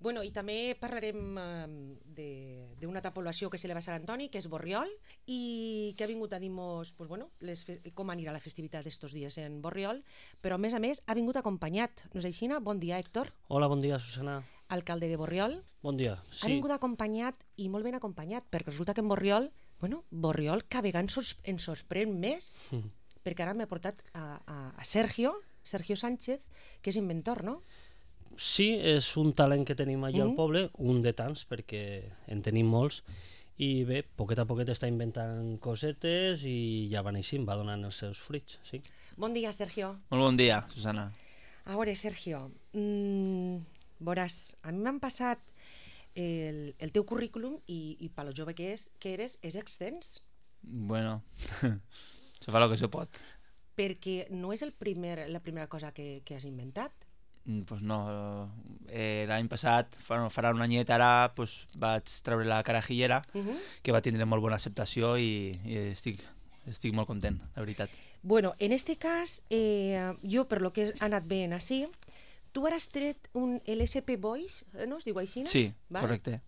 Bueno, i també parlarem d'una població que se celebra a Sant Antoni, que és Borriol, i que ha vingut a dir-nos com anirà la festivitat d'estos dies en Borriol, però a més ha vingut acompanyat. No és així? Bon dia, Héctor. Hola, bon dia, Susana. Alcalde de Borriol. Bon dia, Ha vingut acompanyat, i molt ben acompanyat, perquè resulta que en Borriol, Borriol cada vegada ens sorprèn més, perquè ara m'he portat a Sergio Sánchez, que és inventor, no? Sí, és un talent que tenim allà al poble, un de tants, perquè en tenim molts, i bé, poquet a poquet està inventant cosetes i ja va neixint, va donant els seus fruits, sí. Bon dia, Sergio. Molt bon dia, Susana. A veure, Sergio, veuràs, a mi m'han passat el teu currículum i per lo jove que eres, és extens. Bueno, se fa el que se pot. Perquè no és la primera cosa que has inventat. Pues no, l'any passat, farà un anyet ara, vaig treure la carajillera, que va tindre molt bona acceptació i estic molt content, la veritat. Bueno, en este cas, jo per lo que he anat veient així, tu has tret un LSP Voice, no es diu així? Sí, correcte.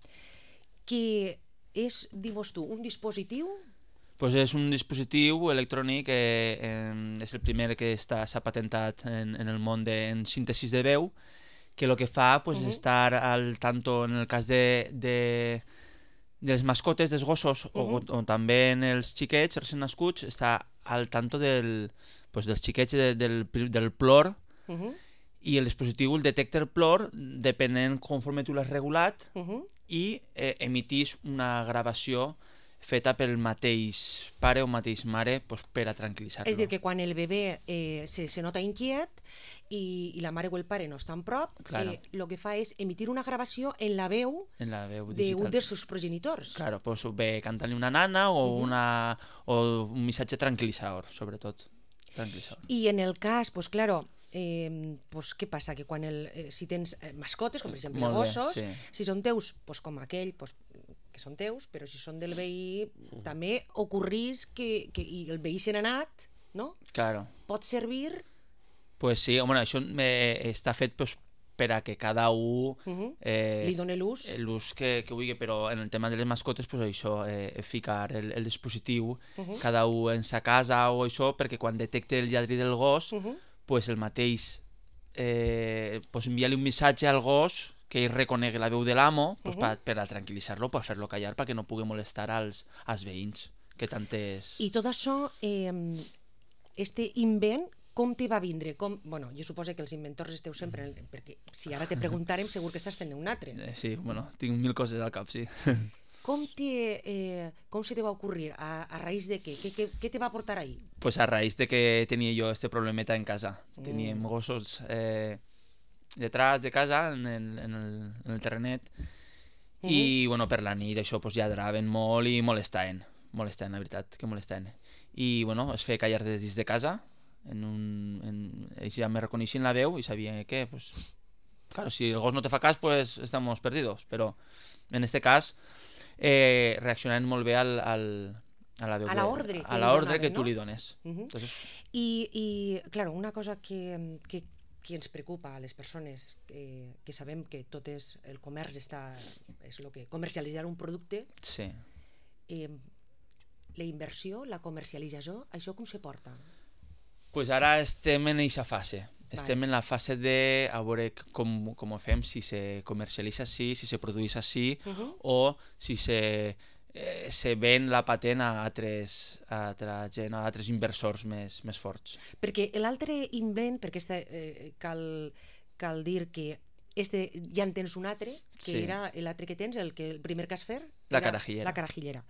Que és, dius tu, un dispositiu... Pues és un dispositiu electrònic, és el primer que s'ha patentat en el món en síntesi de veu, que el que fa és estar al tanto en el cas de les mascotes, dels gossos, o també en els xiquets, els nascuts, està al tanto dels xiquets del plor, i el dispositiu detecta el plor depenent conforme tu l'has regulat i emitís una gravació feta pel mateix pare o mateix mare per a tranquil·litzar-lo. És a dir, que quan el bebè se nota inquiet i la mare o el pare no estan prop, el que fa és emitir una gravació en la veu d'un dels seus progenitors. Claro, pues ve cantant-li una nana o un missatge tranquil·litzador, sobretot. I en el cas, pues claro, què passa? Que quan si tens mascotes, com per exemple gossos, si són teus, com aquell, que són teus, però si són del veí també ocorrís que el veí se n'ha anat, no? Claro. Pot servir? Pues sí, home, això està fet per a que cada un li doni l'ús que vulgui, però en el tema de les mascotes això, ficar el dispositiu cada un en sa casa o això, perquè quan detecte el lladri del gos el mateix enviar-li un missatge al gos que ell reconegui la veu de l'amo per a tranquil·litzar-lo, per fer-lo callar, perquè no pugui molestar als veïns, que tant és... I tot això, este invent, com te va vindre? Bueno, jo suposo que els inventors esteu sempre, perquè si ara te preguntarem segur que estàs fent un altre. Sí, bueno, tinc 1000 coses al cap, sí. Com se te va ocurrir? A raïs de què? Què te va portar ahí? Pues a raïs de que tenia jo este problemeta en casa. Teníem gossos... detrás de casa, en el terrenet, i bueno, per la nit això lladraven molt i molestaven, la veritat, que molestaven. I bueno, es feia callar des dins de casa, ells ja me reconeixien la veu i sabien que, claro, si el gos no te fa cas, estamos perdidos, però en este cas reaccionaven molt bé a la veu, a l'ordre que tu li dones. I, claro, una cosa que ens preocupa a les persones que sabem que tot és el comerç és el que comercialitzar un producte, la inversió, la comercialització, això com se porta? Pues ara estem en aquesta fase. Estem en la fase de a veure com ho fem, si se comercialitza així, si se produeix així, o si se ven la patent a altres inversors més forts. Perquè l'altre invent, perquè cal dir que ja en tens un altre, que era l'altre que tens, el primer que has fet, la carajillera. La carajillera.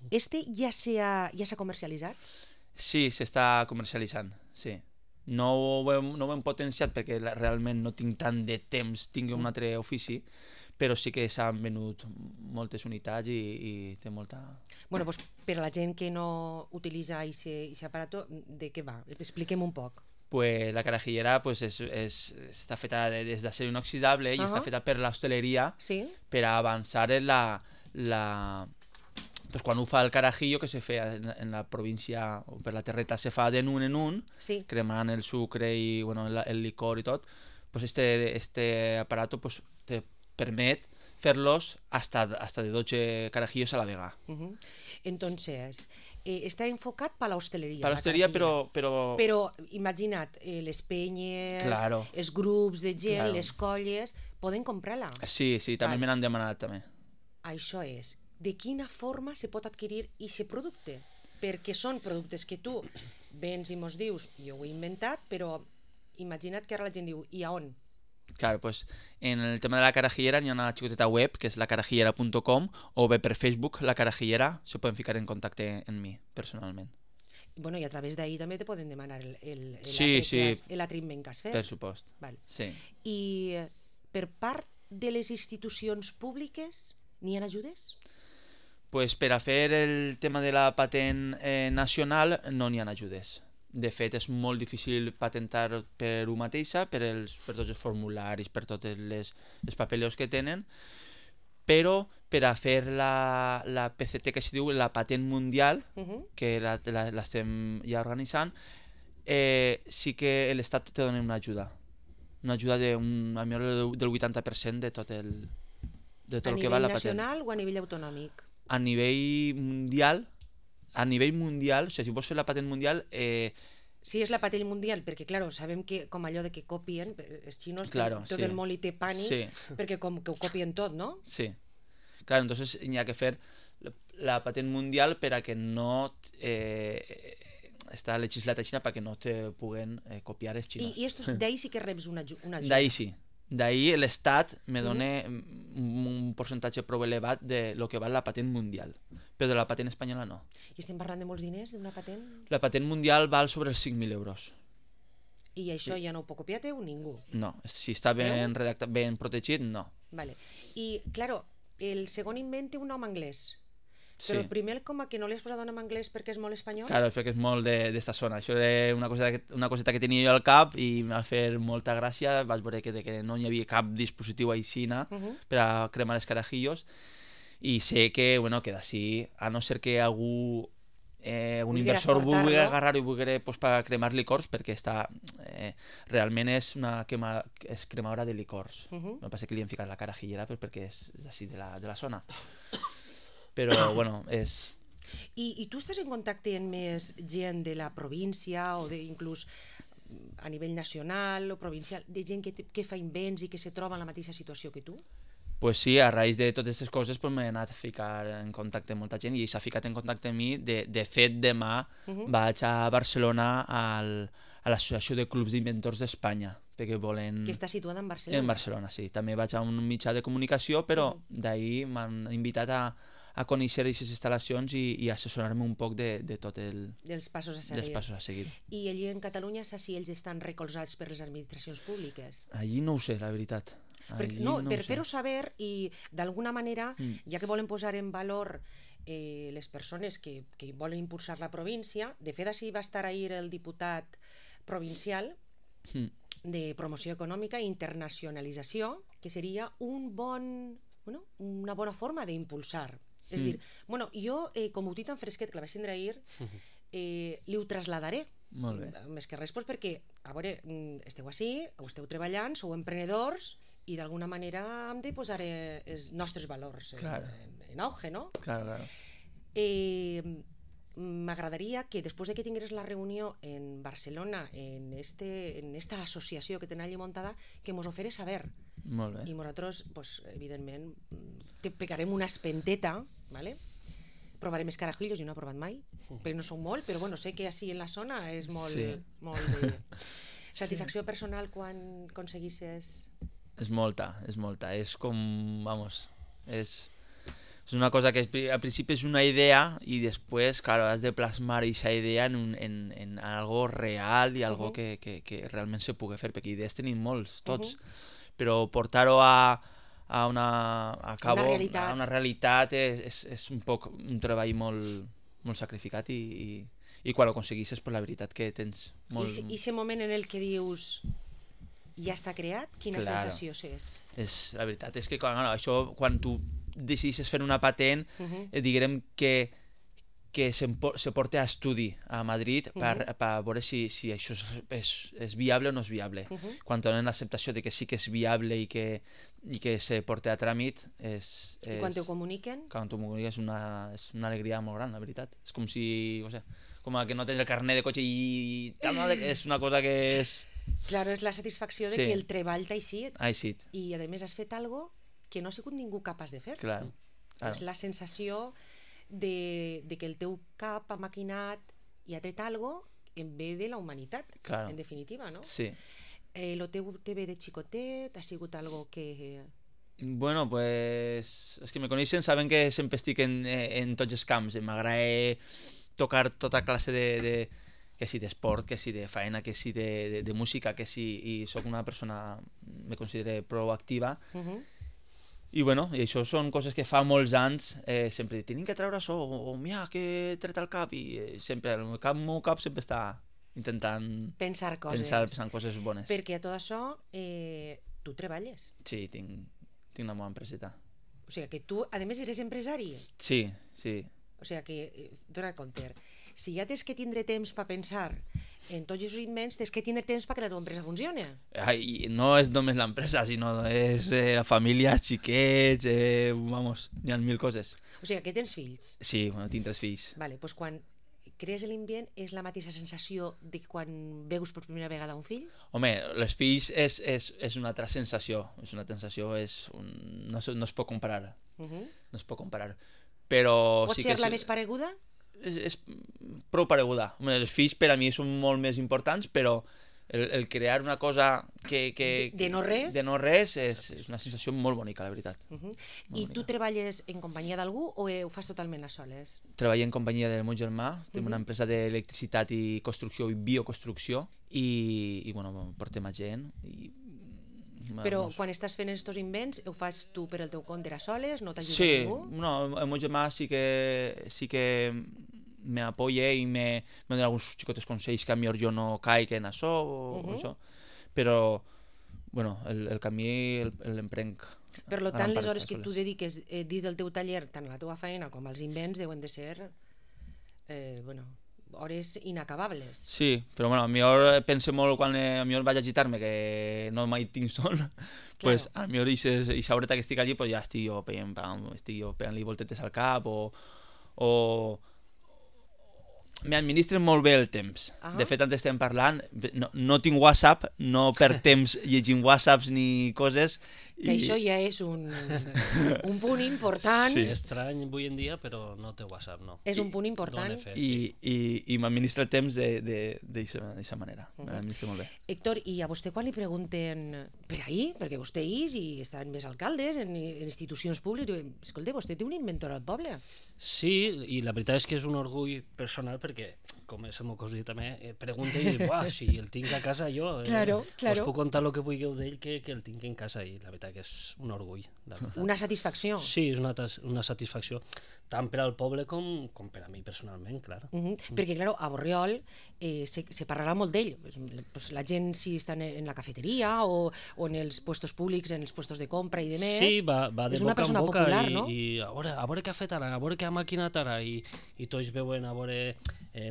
Este ja s'ha comercialitzat? Sí, s'està comercialitzant, sí. No ho hem potenciat perquè realment no tinc tant de temps, tinc un altre ofici, però sí que s'han venut moltes unitats i té molta... Bueno, doncs per a la gent que no utilitza aquest aparato, de què va? Expliquem un poc. Pues la carajillera està feta des d'acer inoxidable i està feta per l'hostaleria per a avançar en quan ho fa el carajillo, que se fa en la província o per la terreta, se fa de un en un, cremant el sucre i el licor i tot, este aparato té permet fer-los hasta de 12 carajillos a la vegada. Entonces, está enfocat per a l'hostaleria. Per a l'hostaleria, però... Però, imagina't, les penyes, Claro. els grups de gent, Claro. les colles, poden comprar-la. Sí, també me n'han demanat, també. Això és, de quina forma se pot adquirir aquest producte? Perquè són productes que tu vens i mos dius, jo ho he inventat, però imagina't que ara la gent diu, i a on? Claro, pues en el tema de la carajillera hi ha una xicoteta web que és lacarajillera.com o bé per Facebook, La Carajillera, se poden ficar en contacte en mi, personalment. Bueno, i a través d'ahir també te poden demanar Sí. l'atriment que has fet. Per supost. Val. Sí. I per part de les institucions públiques n'hi ha ajudes? Pues per a fer el tema de la patent nacional no n'hi ha ajudes. De fet, és molt difícil patentar per una mateixa, per tots els formularis, per tots els papeleos que tenen, però per a fer la PCT, que se diu la patent mundial, que l'estem ja organitzant, sí que l'Estat te dona una ajuda del 80% de tot el que va la patent. A nivell nacional o a nivell autonòmic? A nivell mundial, o sigui, si vols fer la patent mundial... Si és la patent mundial, perquè, clar, sabem que com allò de que copien, els xinos, claro, tot el món li té pànic, perquè com que ho copien tot, no? Sí. Claro, entonces hi ha que fer la patent mundial per a que no... està legislat a Xina perquè no te puguen copiar els xinos. I d'ahir sí que reps una ajuda? D'ahir sí. D'ahir l'Estat me dona un percentatge prou elevat de lo que val la patent mundial, però de la patent espanyola no. I estem parlant de molts diners d'una patent? La patent mundial val sobre els 5.000 euros. I això ja no ho pot copiar teu ningú? No, si està ben redactat, ben protegit, no. Vale. I, claro, el segon invent té un nom anglès. Sí. Però el primer com a que no li has posat un nom anglès perquè és molt espanyol? Claro, perquè és molt d'esta zona. Això era una coseta que tenia jo al cap i m'ha fet molta gràcia. Vaig veure que no hi havia cap dispositiu aixina per a cremar els carajillos i sé que, bueno, que d'ací, a no ser que algun inversor vulgui agarrar-ho i vulgui per cremar licors, perquè realment és cremadora de licors. El que passa que li hem ficat la carajillera perquè és d'ací, de la zona. Però, bueno, és... I tu estàs en contacte amb més gent de la província o inclús a nivell nacional o provincial, de gent que fa invents i que se troba en la mateixa situació que tu? Pues sí, a raïs de totes aquestes coses m'he anat a ficar en contacte amb molta gent i s'ha ficat en contacte amb mi. De fet, demà vaig a Barcelona a l'Associació de Clubs d'Inventors d'Espanya, perquè volen... Que està situada en Barcelona? En Barcelona, sí. També vaig a un mitjà de comunicació, però d'ahir m'han invitat a conèixer aquestes instal·lacions i assessorar-me un poc de tot dels passos a seguir. I allí en Catalunya saps si ells estan recolzats per les administracions públiques? Allí no ho sé, la veritat. Per fer-ho saber i d'alguna manera, ja que volen posar en valor les persones que volen impulsar la província, de fet així va estar ahir el diputat provincial de promoció econòmica i internacionalització, que seria una bona forma d'impulsar. És dir, jo, com ho tinc tan fresquet que la vaig tindre ahir, li ho traslladaré. Molt bé. Més que res, perquè, a veure, esteu així, esteu treballant, sou emprenedors, i d'alguna manera hem de posar els nostres valors en auge, no? Claro. M'agradaria que després que tingués la reunió en Barcelona, en esta associació que tenen allí muntada, que mos ho feres saber. Molt bé. I nosaltres, evidentment, te pegarem una espenteta, ¿vale? Provarem els carajillos, jo no he provat mai, perquè no són molt, però bueno, sé que així en la zona és molt de... Satisfacció personal quan aconseguissis... És molta. És com, és una cosa que al principi és una idea i després, claro, has de plasmar aquesta idea en algo real i algo que realment se pugui fer, perquè idees tenim molts, tots, però portar-ho a una realitat és un poc un treball molt sacrificat i quan ho aconseguisses, la veritat que tens molt... I aquest moment en el que dius ja està creat, quina sensació és? La veritat és que això, quan tu decidisses fer una patent, diguem que que se porta a estudi a Madrid per veure si això és viable o no és viable. Quan tenen l'acceptació de que sí que és viable i que se porta a tràmit I quan t'ho comuniquen? Quan t'ho comuniquen és una alegria molt gran, la veritat. És com si, no sé, com que no tens el carnet de cotxe i és una cosa que és... Claro, és la satisfacció de que el treball t'ha eixit. Ha eixit. I a més has fet algo que no ha sigut ningú capaç de fer. Clar. És la sensació de que el teu cap ha maquinat i ha tret algo en bé de la humanitat, en definitiva, no? Sí. Lo teu TV de xicotet ha sigut algo que... Bueno, pues els que me coneixen saben que sempre estic en tots els camps. M'agrada tocar tota classe de que si d'esport, que si de feina, que si de música, que si... I sóc una persona, me considero proactiva. I bueno, i això són coses que fa molts anys sempre tenim que treure això, o mira, que he tret el cap, i sempre el meu cap sempre està intentant pensar coses bones. Perquè a tot això tu treballes. Sí, tinc una bona empreseta. O sigui que tu, a més, eres empresari. Sí, sí. O sigui que, dona compte, si ja tens que tindre temps per pensar en tots els invents, tens que tindre temps perquè la teva empresa funcioni. No és només l'empresa, sinó és la família, xiquets, vamos, hi ha 1000 coses. O sigui que tens fills. Sí, bueno, tinc 3 fills. Vale, doncs quan crees l'invent és la mateixa sensació de quan veus per primera vegada un fill? Home, els fills és una altra sensació. És una sensació, no es pot comparar. No es pot comparar. Però pot sí ser la més pareguda? És prou pareguda. Els fills per a mi són molt més importants, però el crear una cosa que de no res, és una sensació molt bonica, la veritat. I tu treballes en companyia d'algú o ho fas totalment a soles? Treballo en companyia del meu germà, tenim una empresa d'electricitat i construcció i bioconstrucció, i bueno, portem a gent i... Però quan estàs fent aquests invents, ho fas tu per el teu compte a soles? No t'ajuda ningú? Sí, no, el meu germà sí que me apoya i me dona alguns xicotes consells que a millor jo no caic en això o això, però bueno, el camí l'emprenc. Per tant, les hores que tu dediques dins del teu taller, tant a la teva feina com als invents, deuen de ser hores inacabables. Sí, però bueno, a millor pense molt quan a millor vaig a agitar-me, que no mai tinc son, pues a millor aquesta horeta que estic allí, pues ja estic jo pegant-li voltetes al cap o m'administren molt bé el temps. De fet, antes estem parlant, no tinc WhatsApp, no per temps llegint WhatsApps ni coses. Que això ja és un punt important. Sí, estrany avui en dia, però no té WhatsApp, no. És un punt important. I m'administra el temps d'aquesta manera. M'administra molt bé. Héctor, i a vostè quan li pregunten per ahir, perquè vostè és i estan més alcaldes en institucions públiques, escolta, vostè té un inventor al poble? Sí, i la veritat és que és un orgull personal perquè, com és el meu cosí també, pregunta i diu, si el tinc a casa jo, us puc contar el que vulgueu d'ell que el tinc en casa, i la veritat que és un orgull. Una satisfacció. Sí, és una satisfacció, tant per al poble com per a mi personalment, clar. Perquè, clar, a Borriol se parlarà molt d'ell. La gent, si està en la cafeteria o en els puestos públics, en els puestos de compra i de més, sí, va de és una boca persona en boca popular, no? I a veure què ha fet ara, a veure què ha maquinat ara, i tots veuen a veure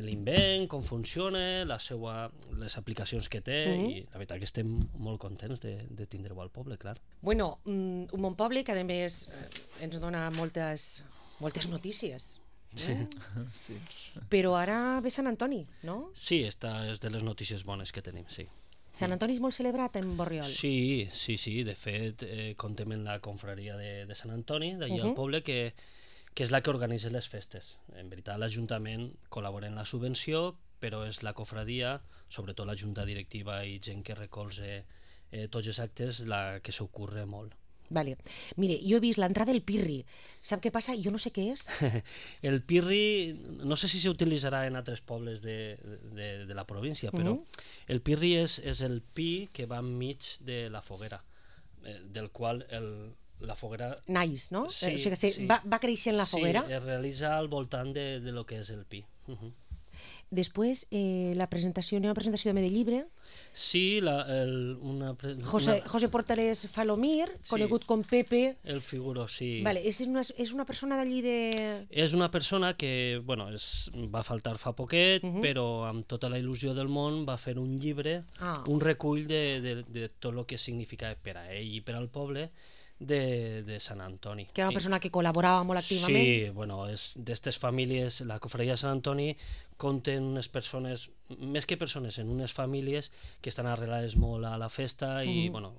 l'invent, com funciona, les aplicacions que té, i la veritat que estem molt contents de tindre-ho al poble, clar. Bueno, un bon poble que a més ens dona moltes notícies. Sí. Però ara ve Sant Antoni, no? Sí, esta és de les notícies bones que tenim, sí. Sant Antoni és molt celebrat en Borriol. Sí, de fet contem en la confraria de Sant Antoni, d'allà al poble, que és la que organitza les festes. En veritat l'Ajuntament col·labora en la subvenció, però és la confraria, sobretot la junta directiva i gent que recolza tots els actes, la que s'ocorre molt. Vale. Mire, jo he vist l'entrada del pirri. Sap què passa? Jo no sé què és. El pirri, no sé si s'utilitzarà en altres pobles de la província, però el pirri és el pi que va enmig de la foguera, del qual la foguera... Naix, no? Sí, o sigui, va créixer en la foguera? Sí, es realitza al voltant de lo que és el pi. Després, la presentació, n'hi ha una presentació també de llibre. Sí, José Portales Falomir, conegut com Pepe. El figuró, sí. Vale, és una persona d'allí de... És una persona que, bueno, va faltar fa poquet, però amb tota la il·lusió del món va fer un llibre, un recull de tot el que significa per a ell i per al poble de Sant Antoni. Que era una persona que col·laborava molt activament. Sí, bueno, és d'estes famílies, la cofradia de Sant Antoni compten unes persones, més que persones, en unes famílies que estan arrelades molt a la festa i, bueno,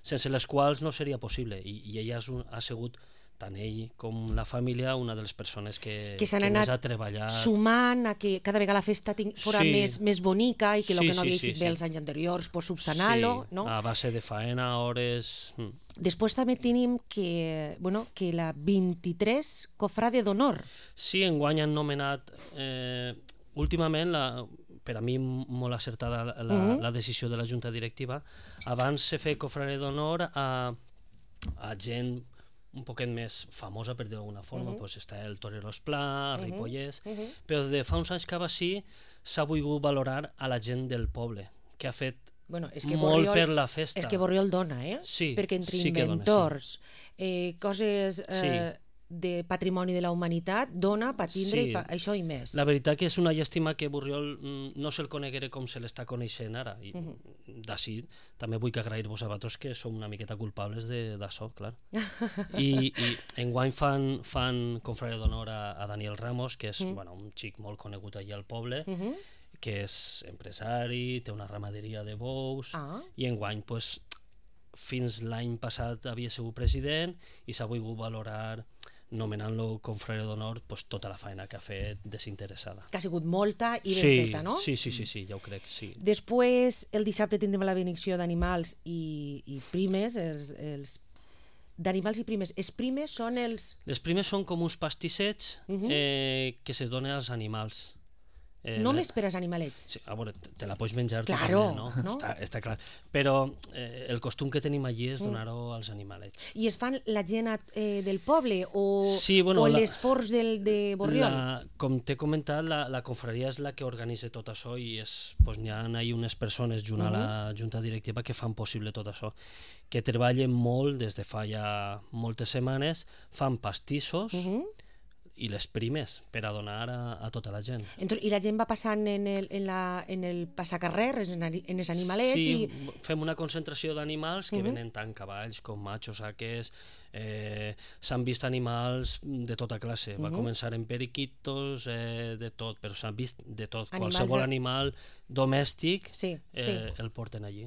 sense les quals no seria possible. I ella ha sigut, tant ell com la família, una de les persones que més ha treballat. Sumant a que cada vegada la festa fora més bonica i que el que no havia eixit bé els anys anteriors, subsanar-lo, no? A base de faena, hores... Després també tenim que la 23 cofrade d'honor. Sí, enguany han nomenat últimament, per a mi molt acertada la decisió de la Junta Directiva, abans se feia cofrade d'honor a gent un poquet més famosa, per dir d'alguna forma, està el Torero Esplà, Ripollès, però de fa uns anys cap així s'ha volgut valorar a la gent del poble, que ha fet molt per la festa. És que Borriol dona, Sí, perquè entre inventors, coses de patrimoni de la humanitat, dona per tindre això i més. La veritat que és una llàstima que Borriol no se'l coneguera com se l'està coneixent ara. D'ací també vull agrair-vos a vosaltres que som una miqueta culpables d'això, clar. I enguany fan confrare d'honor a Daniel Ramos, que és un xic molt conegut allà al poble, que és empresari, té una ramaderia de bous, i enguany, fins l'any passat havia sigut president i s'ha volgut valorar nomenant-lo confrare d'honor tota la feina que ha fet desinteressada. Que ha sigut molta i ben feta, no? Sí, ja ho crec, sí. Després, el dissabte tindrem la benedicció d'animals i primes, d'animals i primes. Els primes són els... Les primes són com uns pastissets que se donen als animals. Només per als animalets. Sí, a veure, te la pots menjar claro, també, no? Està clar. Però el costum que tenim allí és donar-ho als animalets. I es fan la gent del poble o les forts de Borriol? Com t'he comentat, la confraria és la que organitza tot això i n'hi ha unes persones junt a la Junta Directiva que fan possible tot això, que treballen molt des de fa ja moltes setmanes, fan pastissos i les primes per a donar a tota la gent. I la gent va passant en el passacarrer, en els animalets? Sí, fem una concentració d'animals que venen tant cavalls com machos, saques, s'han vist animals de tota classe. Va començar en periquitos, de tot, però s'han vist de tot. Qualsevol animal domèstic el porten allí.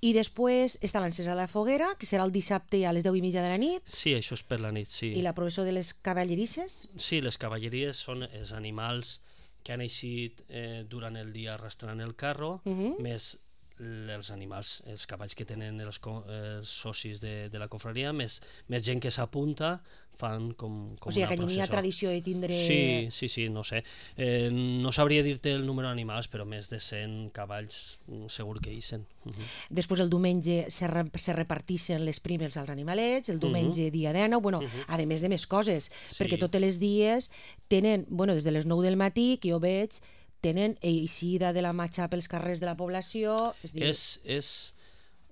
I després està l'encesa de la foguera, que serà el dissabte a les 10:30 de la nit. Sí, això és per la nit, sí. I la processó de les cavallerisses? Sí, les cavalleries són els animals que han eixit durant el dia arrastrant el carro, més els animals, els cavalls que tenen els socis de la confraria, més gent que s'apunta, fan com una processó. O sigui, que hi ha tradició de tindre... Sí, no sé. No sabria dir-te el número d'animals, però més de 100 cavalls segur que hi eixen. Després el diumenge se reparteixen les primes als animalets, el diumenge dia 19, a més de més coses, perquè tots els dies tenen, des de les 9 del matí, que jo veig, tenen eixida de la matxa pels carrers de la població... És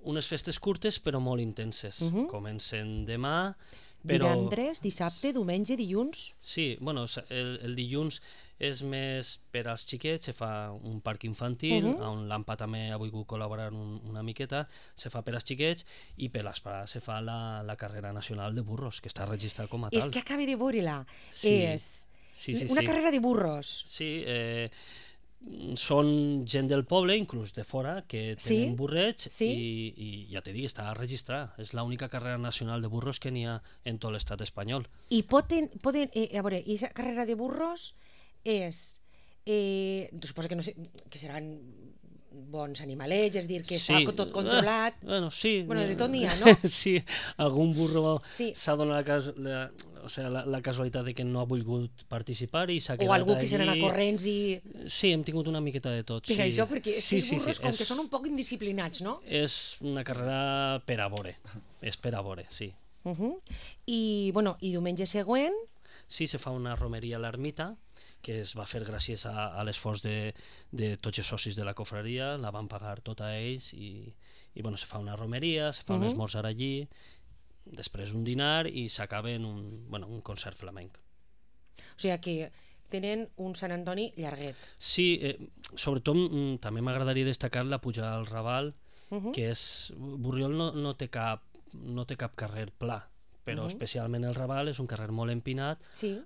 unes festes curtes però molt intenses. Comencen demà, però... Divendres, dissabte, diumenge, dilluns... Sí, el dilluns és més per als xiquets, se fa un parc infantil, on l'AMPA també ha volgut col·laborar una miqueta, se fa per als xiquets, i per les parades se fa la carrera nacional de burros, que està registrada com a tal. És que acabo de veure-la. Una carrera de burros. Sí, són gent del poble, inclús de fora, que tenen burrets i ja t'he dit, està registrada. És l'única carrera nacional de burros que n'hi ha en tot l'estat espanyol. I poden a veure, aquesta carrera de burros és... suposo que no sé, que seran bons animalets, és dir, que està tot controlat. Sí. De tot n'hi ha, no? Sí, algun burro s'ha donat la casualitat de que no ha volgut participar i s'ha quedat allí. O algú que se n'anà corrents i... Sí, hem tingut una miqueta de tot. Per això, perquè els burros com que són un poc indisciplinats, no? És una carrera per a veure, sí. I diumenge següent... Sí, se fa una romeria a l'ermita, que es va fer gràcies a l'esforç de tots els socis de la cofraria, la van pagar tota a ells i bueno, se fa una romeria, se fa un esmorzar allí, després un dinar i s'acaba en un concert flamenc. O sigui que tenen un Sant Antoni llarguet. Sí, sobretot també m'agradaria destacar la pujada al Raval, que és... Borriol no té cap carrer pla, però especialment el Raval és un carrer molt empinat,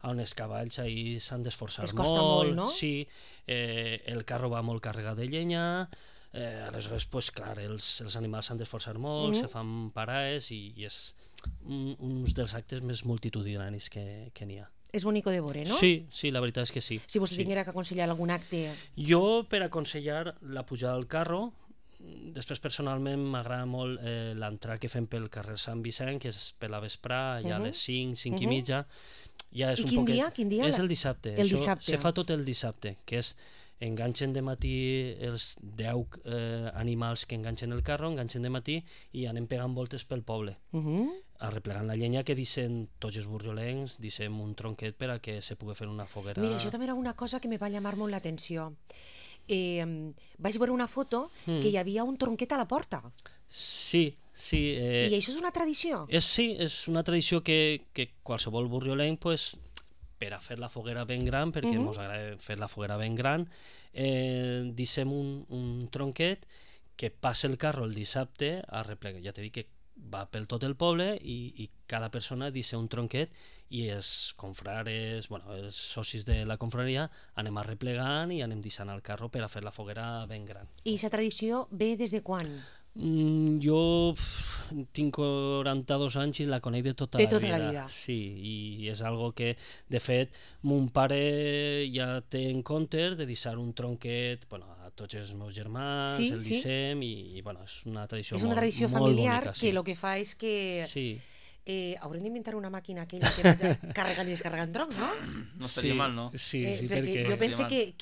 on els cavalls ahí s'han d'esforçar molt. Es costa molt, no? Sí, el carro va molt carregat de llenya, aleshores, pues, clar, els animals s'han d'esforçar molt, se fan parades i és un dels actes més multitudinaris que n'hi ha. És bonico de veure, no? Sí, la veritat és que sí. Si vostè tinguera que aconsellar algun acte... Jo, per aconsellar la pujada al carro, després personalment m'agrada molt l'entrar que fem pel carrer Sant Vicent, que és per la vesprà, ja a les 5 i mitja. Ja és I quin dia? És el dissabte. El dissabte. Se fa tot el dissabte, que és enganxen de matí els 10 animals que enganxen el carro, enganxen de matí i anem pegant voltes pel poble. Arreplegant la llenya que deixen tots els borriolencs, deixem un tronquet per a que se pugui fer una foguera. Mira, això també era una cosa que me va llamar molt l'atenció. Vaig veure una foto que hi havia un tronquet a la porta. Sí. I això és una tradició? Sí, és una tradició que qualsevol borriolenc, pues, per a fer la foguera ben gran, perquè ens agrada fer la foguera ben gran, deixem un tronquet que passa el carro el dissabte a replegar. Ja t'he dit que va pel tot el poble i cada persona deixa un tronquet i els confrares, els socis de la confraria anem arreplegant i anem deixant el carro per a fer la foguera ben gran. I aquesta tradició ve des de quan? Jo tinc 42 anys i la conec de tota la vida. Sí, i és algo que, de fet, mon pare ja té en compte de deixar un tronquet a tots els meus germans, el deixem i és una tradició molt bonica. És una tradició familiar que el que fa és que... haurem d'inventar una màquina aquella que vaig carregant i descarregant troncs, no? No estaria mal, no? Sí, perquè jo penso que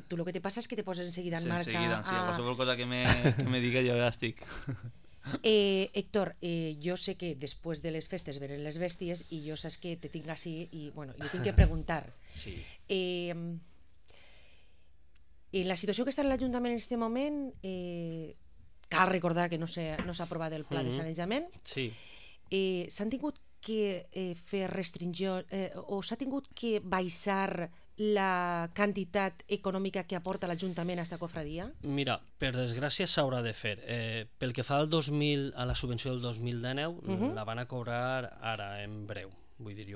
tu el que te passa és que te poses enseguida en marxa. Sí, qualsevol cosa que me diga jo ja estic. Héctor, jo sé que després de les festes venen les bèsties i jo saps que te tinc així i jo tinc que preguntar. Sí. En la situació que està en l'Ajuntament en aquest moment, cal recordar que no s'ha aprovat el pla de sanejament. Sí. S'han tingut que fer restricció o s'ha tingut que baixar la quantitat econòmica que aporta l'Ajuntament a aquesta cofradia? Mira, per desgràcia s'haurà de fer. Pel que fa a la subvenció del 2019, la van a cobrar ara, en breu. Vull dir,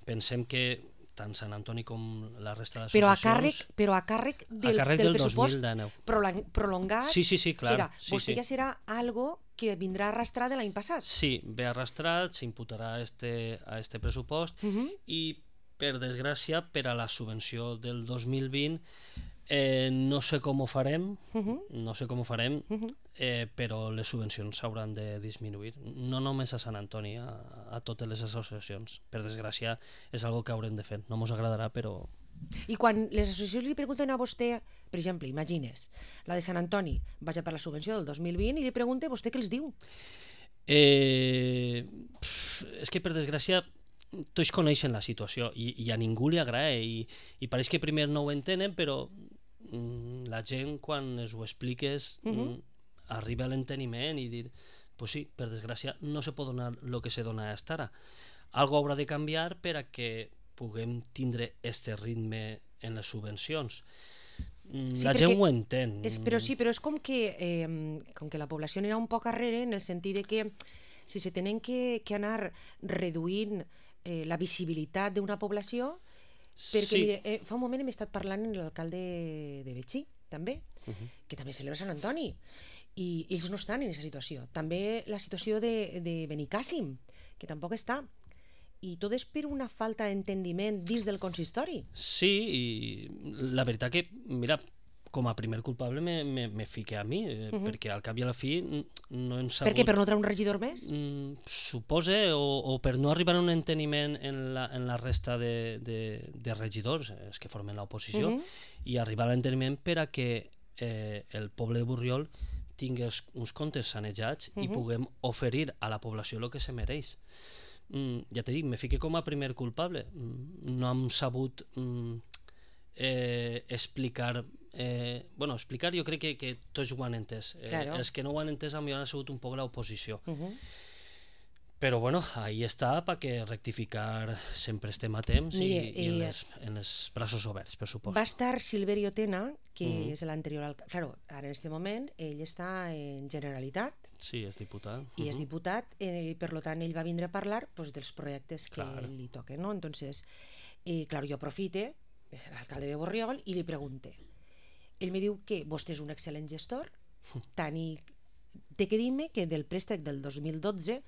pensem que tant Sant Antoni com la resta d'associacions... Però a càrrec del pressupost 2019. Prolongat? Sí, clar. O sigui, vostè ja serà algo que vindrà arrastrat de l'any passat? Sí, ve arrastrat, s'imputarà a este pressupost i, per desgràcia, per a la subvenció del 2020 no sé com ho farem, però les subvencions s'hauran de disminuir. No només a Sant Antoni, a totes les associacions. Per desgràcia, és algo que haurem de fer. No mos agradarà, però... I quan les associacions li pregunten a vostè, per exemple, imagines, la de Sant Antoni vaja per la subvenció del 2020 i li pregunta vostè què els diu? És que, per desgràcia, tots coneixen la situació i a ningú li agrada i pareix que primer no ho entenen, però la gent, quan es ho expliques, arriba a l'enteniment i dir, pues sí, per desgràcia, no se pot donar el que se dona fins ara. Algo haurà de canviar per a que puguem tindre este ritme en les subvencions. La gent ho entén. Però és com que la població anirà un poc arrere en el sentit que si se tenen que anar reduint la visibilitat d'una població, perquè mire, fa un moment hem estat parlant amb l'alcalde de Betxí, també, que també celebra Sant Antoni, i ells no estan en aquesta situació. També la situació de Benicàssim, que tampoc està. I tot és per una falta d'entendiment dins del consistori. Sí, i la veritat que, mira, com a primer culpable me fique a mi, perquè al cap i a la fi no hem sabut... Per què? Per no treure un regidor més? Suposa, o per no arribar a un enteniment en la resta de regidors, els que formen l'oposició, i arribar a l'enteniment per a que el poble de Borriol tingui uns comptes sanejats i puguem oferir a la població el que se mereix. ja t'he dit, me fique com a primer culpable. No hem sabut explicar... explicar jo crec que tots ho han entès. Els que no ho han entès potser han sigut un poc l'oposició. Però bueno, ahí està, perquè rectificar sempre estem a temps i en els braços oberts, per supost. Va estar Silverio Tena, que és l'anterior alcalde. Claro, ara en aquest moment ell està en Generalitat. Sí, és diputat. I és diputat, per tant ell va vindre a parlar dels projectes que li toquen, ¿no? Entonces, claro, jo aprofite, és l'alcalde de Borriol, i li pregunte. Ell me diu que vostè és un excel·lent gestor, tant i té que dir-me que del préstec del 2012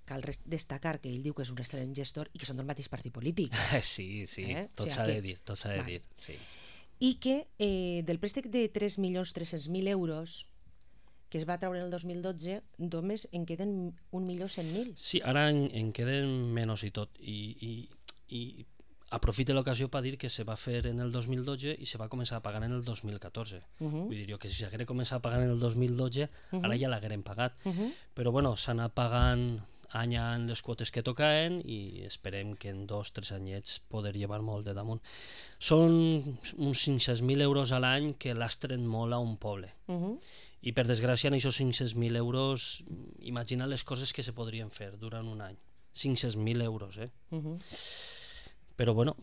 cal destacar que ell diu que és un excel·lent gestor i que són del mateix partit polític. Sí, tot s'ha de dir, tot s'ha de dir. Sí. I que del préstec de 3.300.000 euros que es va treure en el 2012, només en queden 1.100.000. Sí, ara en queden menys i tot. I aprofite l'ocasió per dir que se va fer en el 2012 i se va començar a pagar en el 2014. Vull dir jo que si s'hagués començat a pagar en el 2012, ara ja l'hagueren pagat. Però bueno, s'ha anat pagant any a any les quotes que tocaven i esperem que en 2 o 3 anyets poder llevar molt de damunt. Són uns 500.000 euros a l'any que lastren molt a un poble. I per desgràcia en aquests 500.000 euros imagina les coses que se podrien fer durant un any. 500.000 euros, però bueno,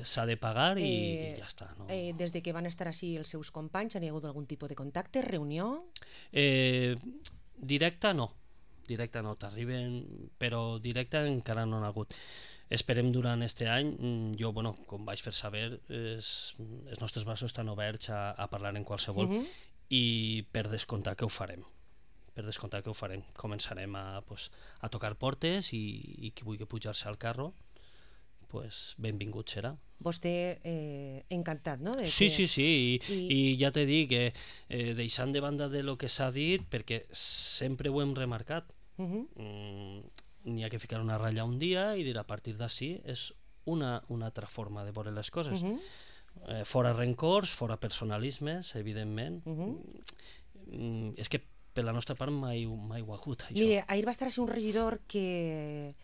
s'ha de pagar i ja està. No? Des de que van estar així els seus companys, han hi hagut algun tipus de contacte, reunió? Directe no, t'arriben, però directe encara no n'ha hagut. Esperem durant aquest any, jo, com vaig fer saber, els nostres braços estan oberts a parlar en qualsevol i per descomptar que ho farem. Començarem a tocar portes i qui vulgui pujar-se al carro, benvingut serà. Vostè encantat, no? Sí, i ja t'he dit que deixant de banda de lo que s'ha dit, perquè sempre ho hem remarcat, n'hi ha que ficar una ratlla un dia i dir a partir d'ací és una altra forma de veure les coses. Fora rencors, fora personalismes, evidentment. És que per la nostra part mai ho ha hagut, això. Mire, ahir va estar així un regidor que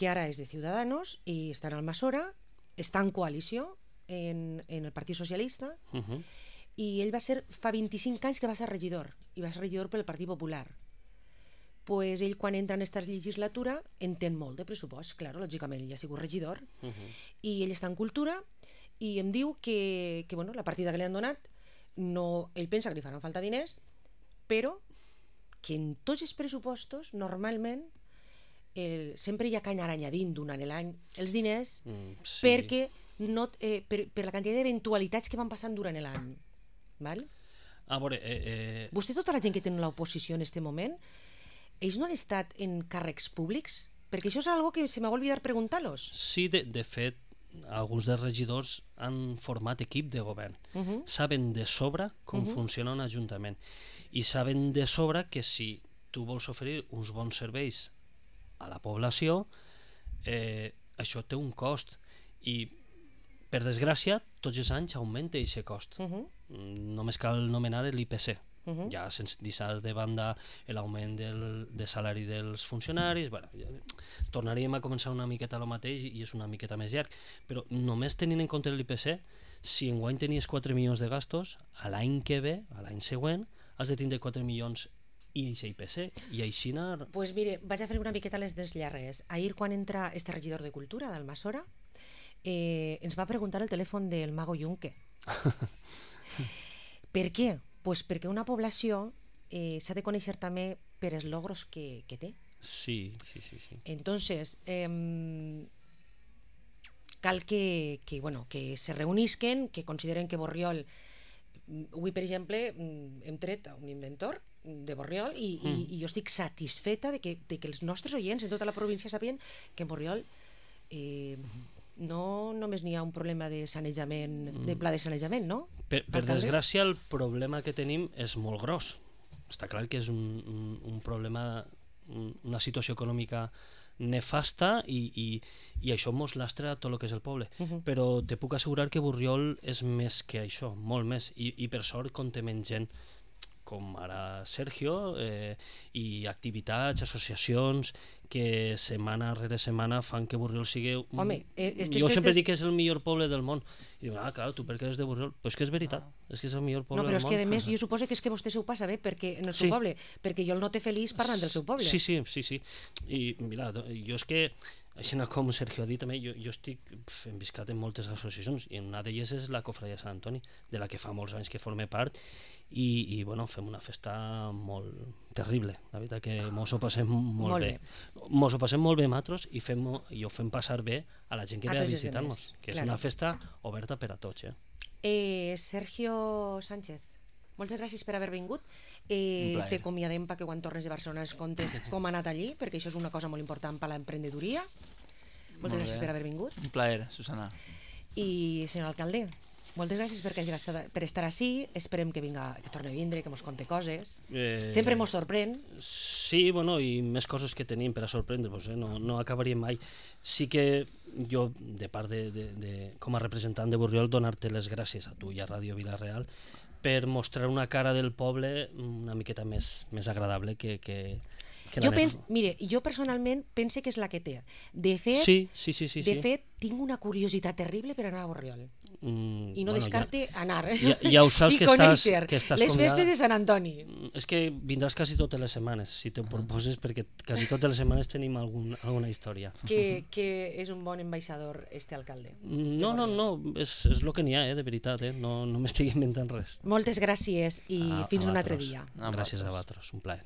ara és de Ciudadanos i està en Almassora, està en coalició en el Partit Socialista i ell va ser, fa 25 anys que va ser regidor i va ser regidor pel Partit Popular. Pues ell quan entra en aquesta legislatura entén molt de pressupost, clar, lògicament ell ha sigut regidor i ell està en cultura i em diu que la partida que li han donat ell pensa que li faran falta diners, però que en tots els pressupostos normalment sempre hi ha que anar añadint durant l'any els diners perquè per la quantitat d'eventualitats que van passant durant l'any. A veure... Vostè, tota la gent que té l'oposició en aquest moment, ells no han estat en càrrecs públics? Perquè això és una cosa que se m'ha oblidat preguntar-los. Sí, de fet, alguns dels regidors han format equip de govern. Saben de sobre com funciona un ajuntament i saben de sobre que si tu vols oferir uns bons serveis a la població, això té un cost i per desgràcia tots els anys augmenta aquest cost. Només cal nomenar l'IPC, ja sense deixar de banda l'augment de salari dels funcionaris. Tornaríem a començar una miqueta el mateix i és una miqueta més llarg, però només tenint en compte l'IPC, si enguany tenies 4 milions de gastos, a l'any que ve, a l'any següent, has de tindre 4 milions i IPC, i així anar... Pues mire, vaig a fer una miqueta les dels llargues. Ahir, quan entra este regidor de Cultura d'Almassora, ens va preguntar el telèfon del Mago Junque. Per què? Pues perquè una població s'ha de conèixer també per els logros que té. Sí. Entonces, cal que se reunisquen, que consideren que Borriol... Avui, per exemple, hem tret un inventor de Borriol i jo estic satisfeta de que els nostres oients en tota la província sabien que en Borriol no només n'hi ha un problema de sanejament, de pla de sanejament, no? Per desgràcia, el problema que tenim és molt gros. Està clar que és un problema, una situació econòmica nefasta i això mos lastra tot el que és el poble. Però te puc assegurar que Borriol és més que això, molt més, i per sort comptem amb gent com ara Sergio, i activitats, associacions que setmana rere setmana fan que Borriol sigui... Jo sempre dic que és el millor poble del món. I diuen, clar, tu per què eres de Borriol? Però és que és veritat, és que és el millor poble del món. No, però és que a més jo suposo que és que vostè s'ho passa bé en el seu poble, perquè jo el note feliç parlant del seu poble. Sí. I mira, jo és que així com Sergio ha dit també, jo estic enviscat en moltes associacions i una d'elles és la Cofradia Sant Antoni, de la que fa molts anys que forme part i bueno, fem una festa molt terrible, la veritat que mos ho passem molt bé. Mos ho passem molt bé nosaltres i ho fem passar bé a la gent que ve a visitar-nos, que és una festa oberta per a tots. Sergio Sánchez, moltes gràcies per haver vingut. T'acomiadem perquè quan tornes de Barcelona ens contes com ha anat allí, perquè això és una cosa molt important per a l'emprenedoria. Moltes gràcies per haver vingut. Un plaer, Susana. I senyor alcalde, moltes gràcies per estar ací. Esperem que torni a vindre, que mos conte coses. Sempre mos sorprèn. Sí, bueno, i més coses que tenim per a sorprendre-vos, no acabaríem mai. Sí que jo, de part com a representant de Borriol, donar-te les gràcies a tu i a Ràdio Vila-real per mostrar una cara del poble una miqueta més agradable que jo personalment pense que és la que té. De fet, tinc una curiositat terrible per anar a Borriol. I no descarte anar. Ja ho saps que estàs les festes de Sant Antoni. És que vindràs quasi totes les setmanes, si te proposes, perquè quasi totes les setmanes tenim alguna història. Que és un bon ambaixador, este alcalde. No, és el que n'hi ha, de veritat, no m'estic inventant res. Moltes gràcies i fins un altre dia. Gràcies a vosaltres, un plaer.